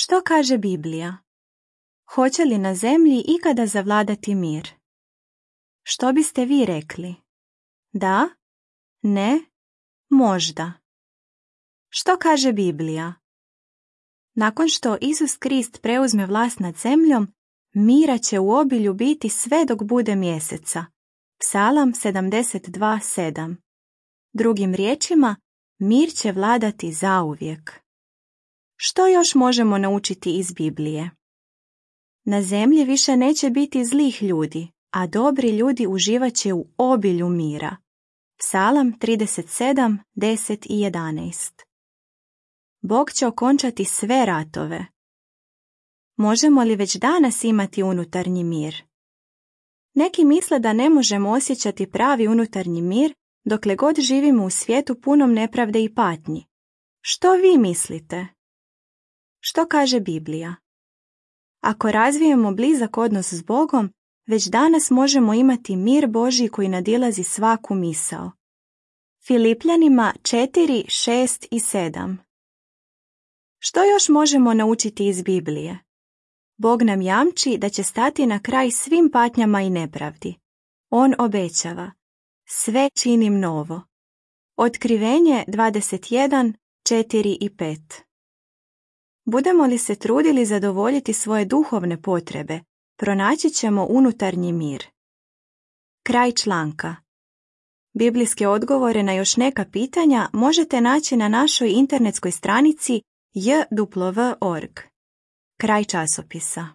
Što kaže Biblija? Hoće li na zemlji ikada zavladati mir? Što biste vi rekli? Da? Ne? Možda. Što kaže Biblija? Nakon što Isus Krist preuzme vlast nad zemljom, mira će u obilju biti sve dok bude mjeseca. Psalam 72:7. Drugim riječima, mir će vladati zauvijek. Što još možemo naučiti iz Biblije? Na zemlji više neće biti zlih ljudi, a dobri ljudi uživat će u obilju mira. Psalam 37:10 i 11. Bog će okončati sve ratove. Možemo li već danas imati unutarnji mir? Neki misle da ne možemo osjećati pravi unutarnji mir dokle god živimo u svijetu punom nepravde i patnji. Što vi mislite? Što kaže Biblija? Ako razvijemo blizak odnos s Bogom, već danas možemo imati mir Božji koji nadilazi svaku misao. Filipljanima 4, 6 i 7. Što još možemo naučiti iz Biblije? Bog nam jamči da će stati na kraj svim patnjama i nepravdi. On obećava: sve činim novo. Otkrivenje 21, 4 i 5. Budemo li se trudili zadovoljiti svoje duhovne potrebe, pronaći ćemo unutarnji mir. Kraj članka. Biblijske odgovore na još neka pitanja možete naći na našoj internetskoj stranici jw.org. Kraj časopisa.